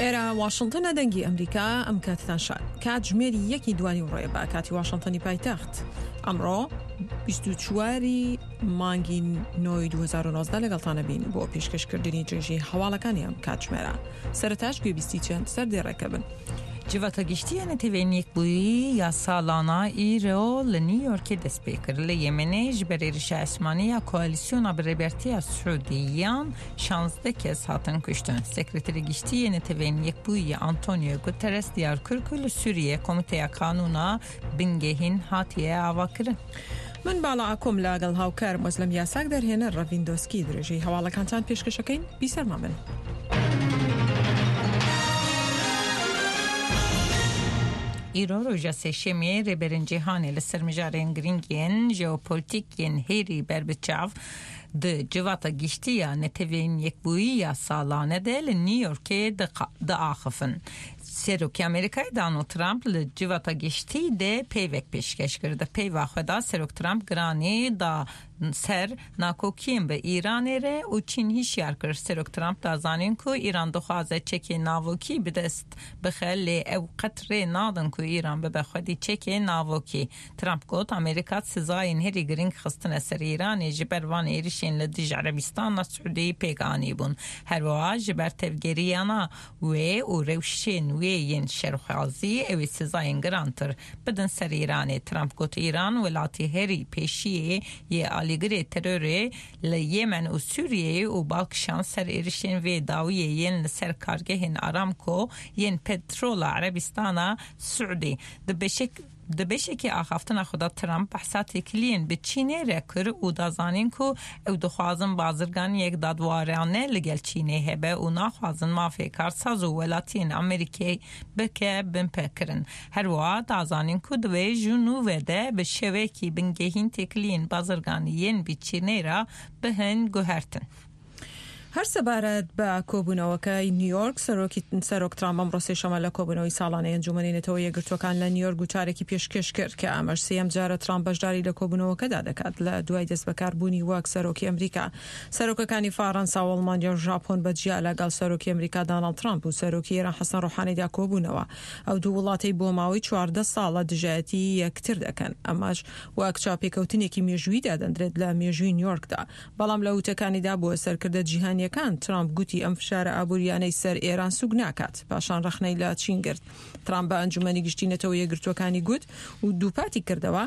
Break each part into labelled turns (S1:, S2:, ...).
S1: ئێرە واشنتنە دەنگی ئەمریکا ئەم کاتتان شاد کاتژمێری یەکی دوانی ڕۆیە بە کاتی واشنتنی پایتەخت ئەمڕۆ 24 مانگی نۆی 2019 لەگەڵتانە بین بۆ پێشکەشکردنی درێژی هەواڵەکانی ئەم کاتژمێرە سەرەتاش گوێبیستی چەند سەردێڕێکە بن.
S2: Civata Giştî ya Neteweyên Yekbûyî ya salana îro li New Yorkê dest pê kir. Li Yemenê ji ber êrişa esmanî ya koalîsyona bi rêbertiya Siûdiyan 16 kes hatin kuştin. Sekreterê Giştî yê Neteweyên Yekbûyî Antonio Guterres diyar kir ku li Sûriyê Komîteya Qanûna Bingehîn hatiye avakirin.
S1: من باڵا ئاکۆم لەگەڵ هاوکارم ئۆزلەم یاساک دەرهێنەر ڕەڤین دۆسکی درێژەی هەواڵەکانتان پێشکەشەکەین بیسەرمان بن.
S2: Îro roja sêşemê rêberên cîhanê li ser mijarên girîng yên jeopolîtîk yên hêrî berbiçav di Civata Giştî ya Neteweyên Yekbûyî ya salane de li New Yorkê diaxifin. Serokê Amerîkayê Donald Trump li Civata Giştî de peyvek pêşkeş kir. Di peyva xwe de Serok Trump giranî da ser nakokiyên bi Îranê re û Çîn hişyar kir. Serok Trump da zanîn ku Îran dixwaze çekê navokî bi dest bixe lê ew qet rê nadin ku Îran bibe xwedî çekê navokî. Trump got Amerîka sizayên herî girîng xistine ser Îranê ji ber van êrişên li dij Erebistana Siûdiyê pêk anîbûn. Her wiha ji ber tevgeriyana wê û rewşên wê yên şerxwazî ew ê sizayên girantir bidin ser Îranê. Trump got Îran welatê herî pêşiyê yê alîgirê terorê li Yemen û Sûriyeyê û bal kişand ser êrişên vê dawiyê yên li ser kargehên Aramco yên petrola Erebistana Siûdî. Di beşek Di beşekî axaftina xwe de Trump behsa têkiliyên bi Çînê re kir û da zanîn ku ew dixwazin bazirganiyek dadwarane li gel Çînê hebe û naxwazin mafê karsaz û welatiyên Amerîkê bike binpêkirin. Her wiha da zanîn ku divê ji nû ve de bi şêwekî bingehîn têkiliyên bazirganî yên bi Çînê re bihin guhertin.
S1: هەر سەبارەت بە کۆبوونەوەکەی نیویۆرک، سەرۆکی سەرۆک ترامپ ئەمڕۆ سێشەممە لە کۆبوونەوەی ساڵانەی ئەنجوومەنی نەتەوە یەکگرتووەکان لە نیویۆرک گوتارێکی پێشکێش کرد کە ئەمەش سێیەم جارە ترامپ بەشداری لە کۆبوونەوەکەدا دەکات لە دوای دەستبەکاربوونی وەک سەرۆکی ئەمریکا. سەرۆکەکانی فەڕەنسا و ئەڵمانیا و ژاپۆن بە جیا لەگەڵ سەرۆکی ئەمریکا داناڵد ترامپ و سەرۆکی ئێران حەسەن ڕۆحانیدا کۆبوونەوە. ئەو دوو وڵاتەی بۆ ماوەی 14 ساڵە دژایەتی یەکتر دەکەن. ئەمەش وەک چاوپێکەوتنێکی مێژوویی دادەندرێت لە مێژووی نیویۆرکدا. بەڵام لە وتەکانیدا بۆ سەرکردە جیهانییەکان، ترامپ گوتی ئەم فشارە ئابوورییانەی سەر ئێران سووک ناکات. پاشان ڕەخنەی لە چین گرت. ترامپ بە ئەنجومەنی گشتی نەتەوە یەکگرتووەکانی گوت و دووپاتی کردەوە،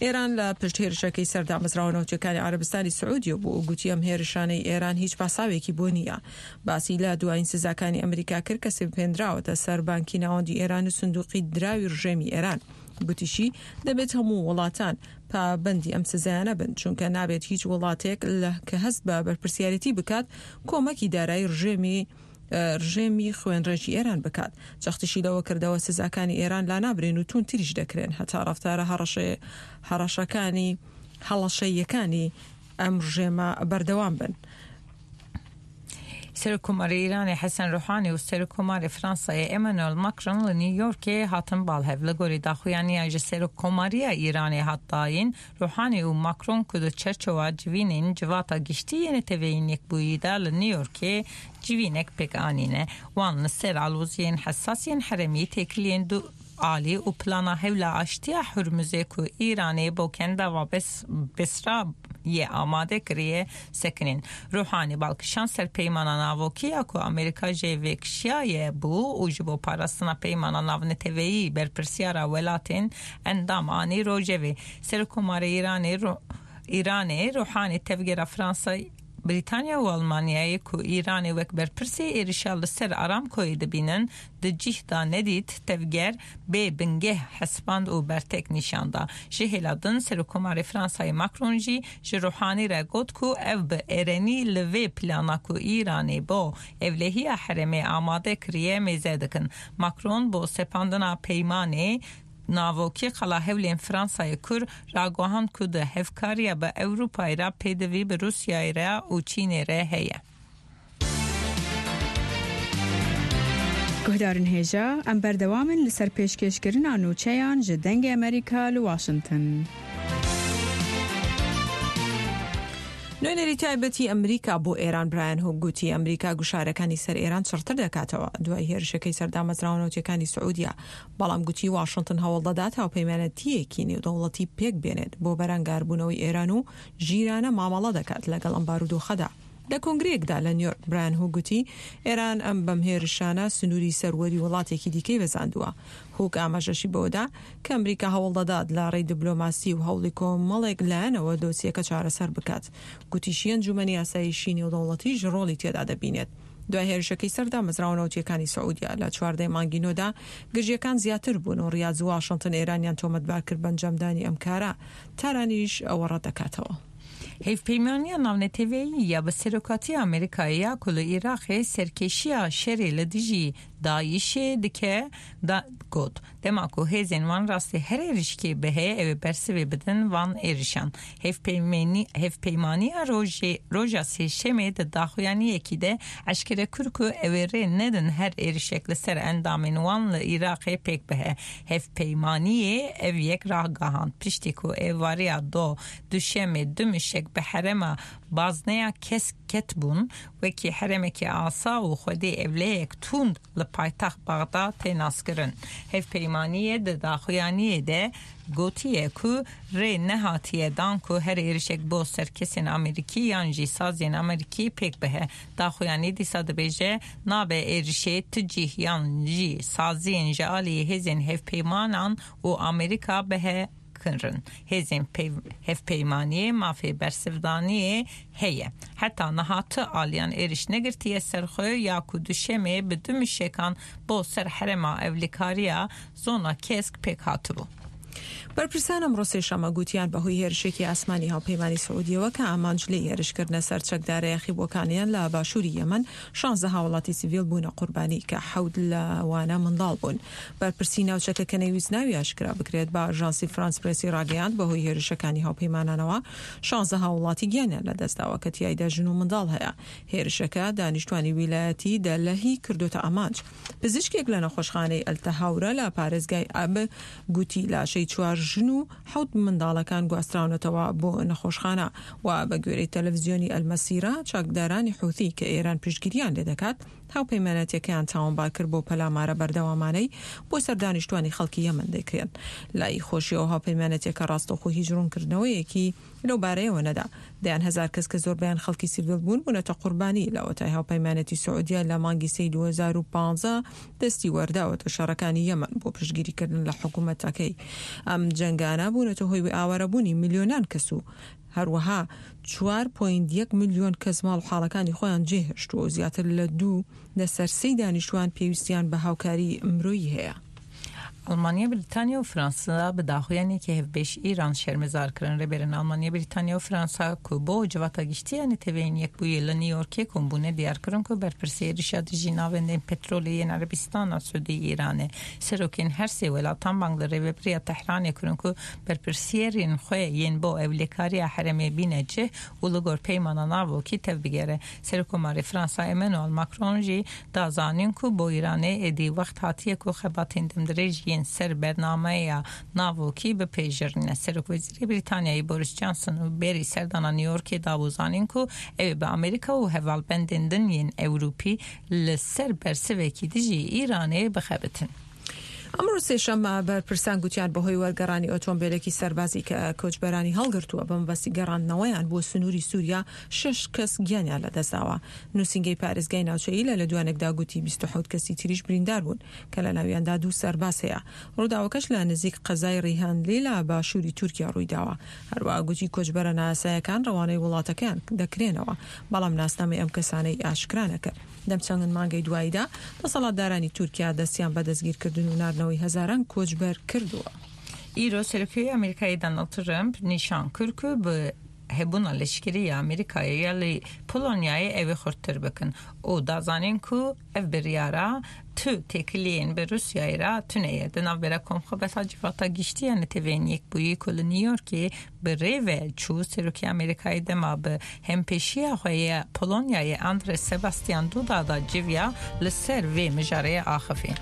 S1: ئێران لە پشت هێرشەکەی سەر دامەزراوە نەوتییەکانی عەرەبستانی سعودیە بوو و گوتی ئەم هێرشانەی ئێران هیچ پاساوێکی بۆ نییە. باسی لە دوایین سزاکانی ئەمریکا کرد کە سەپێندراوەتە سەر بانکی ناوەندی ئێران و سندوقی دراوی ڕژێمی ئێران. گوتیشی دەبێت هەموو وڵاتان پابەندی ئەم سزایانە بن، چونکە نابێت هیچ وڵاتێک لە کە هەست بە بەرپرسیارێتی بکات کۆمەکی دارایی ڕژێمی ڕژێمی خوێنڕێژی ئێران بکات. جەختیشی لەوە کردەوە سزاکانی ئێران لانابرێن و توندتریش دەکرێن هەتا ڕەفتارە هەڕەشەکانی هەڵەشەییەکانی ئەم ڕژێمە بەردەوام بن.
S2: Serokkomarê Îranê Hesen Ruhanî û Serokkomarê Fransayê Emmanuel Macron li New Yorkê hatin bal hev. Li gorî daxuyaniya ji Serokkomariya Îranê hat dayîn, Ruhanî û Macron ku di çerçowa civînên Civata Giştî yê Neteweyên Yekbûyî de li New Yorkê civînek pêk anîne, wan li ser aloziyên hesas yên herêmî têkiliyên du alî û plana hewla aştiya Hurmuzê ku Îranê bo Kendava Besra yê amade kiriye sekinîn. Ruhanî bal kişand ser peymana navokî ya ku Amerîka jê vêkişiyaye bû û ji bo parastina peymana navneteweyî berpirsyara welatên endam anî rojevê. Serokkomarê Îranê Îranê Ruhanî tevgera Fransa Brîtanya û Almanyayê ku Îranê wek berpirsê êrişa li ser Aramkoyê dibînin, di cih da nedît, tevger bê bingeh hesiband û bertek nîşan da. Ji hêla din Serokkomarê Fransayê Macron jî ji Ruhanî re got ku ew bi erênî li vê plana ku Îranê bo ewlehiya herêmê amade kiriye mêze dikin. Macron bo sepandina peymanê navokî qala hewlên Fransayê kur raguhand ku di hevkariya bi Ewropayê re pêdivî bi Rûsyayê re û Çînê re heye.
S3: Guhdarên hêja, em berdewam in li ser pêşkêşkirina nûçeyan ji Dengê Amerîka li Washington.
S1: نوێنەری تایبەتی ئەمریکا بۆ ئێران برایان هوک گوتی ئەمریکا گوشارەکانی سەر ئێران چڕتر دەکاتەوە دوای هێرشەکەی سەر دامەزراوە نەوتیەکانی سعودیە، بەڵام گوتی واشنتن هەوڵدەدات هاوپەیمانەتییەکی نێودەوڵەتی پێک بێنێت بۆ بەرەنگاربوونەوەی ئێران و ژیرانە مامەڵە دەکات لەگەڵ ئەم بارودۆخەدا. لە کۆنگرەیەکدا لە نیۆرک برایان هوک گوتی ئێران ئەم بەم هێرشانە سنووری سەروەری وڵاتێکی دیکەی بەزاندووە. هوک ئاماژەشی بەوەدا کە ئەمریکا هەوڵدەدات لە ڕێی دبلۆماسی و هەوڵی کۆمەڵێک لایەنەوە دۆسیەکە چارەسەر بکات. گوتیشی ئەنجومەنی ئاسایشی نێودەوڵەتیش ڕۆڵی تێدا دەبینێت. دوای هێرشەکەی سەر دامەزراوە نەوتییەکانی سعودیە لە 14 مانگی نۆدا گرژییەکان زیاتر بوون و ڕیاز و واشنتن ئێرانیان تۆمەتبار کرد بە ئەنجامدانی ئەم کارە. تارانیش ئەوە ڕەتدەکاتەوە.
S2: Hevpeymaniya Navneteweyî ya bi Serokatiya Amerîkayê ya ku li Iraqê serkêşiya şerê li dijî DAIŞ'ê dike da got, Dema ku hêzên wan rastî her êrişkê bihe ew ê bersivê bidin van êrişan. Hevpeymaniya rojê roja sêşemê di daxuyaniyekî de eşkere kir ku ew ê rê nedin her êrişek li ser endamên wan li Iraqê pêk bihe. Hevpeymaniyê ev yek ragihand piştî ku êvariya do duşemê du mişek bi herêma Bazneya Kesk ketbûn, wekî herêmekî asa û xwedî ewleyek tund li paytext Bexda tê naskirin. Hevpeymaniyê di daxuyaniyê de gotiye ku rê nehatiye dan ku her êrişek bo ser kesên Amerîkî yan jî saziyên Amerîkî pêk bihe. Daxuyanî dîsa dibêje nabe êrişê ti cih yan jî saziyên ji aliyê hêzên hevpeymanan û Amerîka bihe kirin. Hêzên hevpeymaniyê mafê bersivdaniyê heye. Heta niha ti aliyan êriş negirtiye ser xwe ya ku duşemê bi du mişekan bo ser herêma ewlekariya zona kesk pêk hatibû.
S1: بەرپرسان ئەمڕۆ سێشەممە گوتیان بەهۆی هێرشێکی ئاسمانی هاوپەیمانی سعودیەوە کە ئامانج لێی هێرشکردنە سەر چەکدارە یاخیبووەکانیان لە باشووری یەمەن، شانزە هاوڵاتی سیڤیل بوونە قوربانی کە حەوت لەوانە منداڵ بوون. بەرپرسی ناوچەکە کە نەیویست ناوی ئاشکرا بکرێت بە ئاژانسی فرانس پرێسی ڕاگەیاند بەهۆی هێرشەکانی هاوپەیمانانەوە شانزە هاوڵاتی گیانیان لەدەستداوە کە تیایدا ژن و منداڵ هەیە. هێرشەکە دانیشتوانی ویلایەتی دەلهی کردۆتە ئامانج. پزیشکێک لە نەخۆشخانەی ئەلتەهاورە لە پارێزگای ئەب گوتی لاشەی چوار ژن و حەوت منداڵەکان گواستراونەتەوە بۆ نەخۆشخانە و بە گوێرەی تەلەفزیۆنی ئەلمەسیرە چەکدارانی حوثی کە ئێران پشتگیریان لێدەکات هاوپەیمانەتیەکەیان تاوانبار کرد بۆ پەلامارە بەردەوامانەی بۆ سەر دانیشتوانی خەڵکی یەمەن دەکرێن. لای خۆشیەوە هاوپەیمانەتیەکە ڕاستەوخۆ هیچ ڕوونکردنەوەیەکی لەو بارەیەوە نەدا. دەیان هەزار کەس کە زۆربەیان خەڵکی سیڤیل بوون بوونەتە قوربانی لەوەتای هاوپەیمانێتی سعودیە لە مانگی سێی 2015 دەستی وەرداوەتە شەڕەکانی یەمەن بۆ پشتگیریکردن لە حکومەتەکەی. ئەم جەنگانە بوونەتە هۆی ئاوارەبوونی ملیۆنان کەس و هەروەها چوار پۆینت یەک ملیۆن کەس ماڵ و حاڵەکانی خۆیان جێهێشتووە و زیاتر لە دوو لەسەر سێی دانیشتووان پێویستیان بە هاوکاری مرۆیی هەیە.
S2: ئەڵمانیا، بریتانیا و فرانسا bi daxuyaniyekê hevbeş Îran şermezar kirin. Rêberên Almanya, Brîtanya û Fransa ku bo Civata Giştî ya Neteweyên Yekbûyî li New Yorkê kom bûne diyar kirin ku berpirsê êrişa dijî navendên petrolê yên Erebistana Siûdî Îranê. Serokên her sê welatan bang li Rêveberiya Tehranê kirin ku berpirsiyerên xwe yên bo ewlekariya herêmê bîne cih û li gor peymana navokî tevbigere. Serokkomarê Fransa Emmanuel Macron jî da zanîn ku bo Îranê êdî wext hatiye ku xebatên demdirêj yên ser bernameya navokî bipêjirîne. Serokwezîrê Brîtanyayê Boris Johnson û berî serdana New Yorkê dabû zanîn ku ew ê bi Amerîka û hevalbendên din yên Ewropî li ser bersivekî dijî Îranê bixebitin.
S1: ئەمڕۆ سێشەممە بەرپرسان گوتیان بەهۆی وەرگەڕانی ئۆتۆمبێلێکی سەربازی کە کۆچبەرانی هەڵگرتووە بە مەبەستی گەڕاندنەوەیان بۆ سنووری سووریا شەش کەس گیانیان لەدەستداوە. نووسینگەی پارێزگای ناوچەیی لە لێدوانێکدا گوتی 27 کەسی تریش بریندار بوون کە لەناویاندا دوو سەرباز هەیە. ڕووداوەکەش لە نزیک قەزای ڕیهانلی لە باشووری تورکیا ڕوویداوە. هەروەها گوتی کۆچبەرە نایاسایەکان ڕەوانەی وڵاتەکەیان دەکرێنەوە، بەڵام ناسنامەی ئەم کەسانەی ئاشکرا نەکرد. لەم چەند مانگەی دواییدا دەسەڵاتدارانی تورکیا دەستیان بە دەستگیرکردن و ناردنەوەی هەزاران کۆچبەر کردووە.
S2: Îro Serokê Amerîkayê Donald Trump nîşan kir ku bi hebûna leşkerî ya Amerîkayê ya li Polonyayê ew ê xurttir bikin û da zanîn ku ev biryara tu têkiliyên bi Rûsyayê re tune ye. Di navbera Komxebata Civata Giştî ya Neteweyên Yekbûyî ku li New Yorkê bi rê ve çû, Serokê Amerîkayê dema bi hempêşiya xwe yê Polonyayê Andrzej Sebastian Duda da civiya li ser vê mijarê axivî.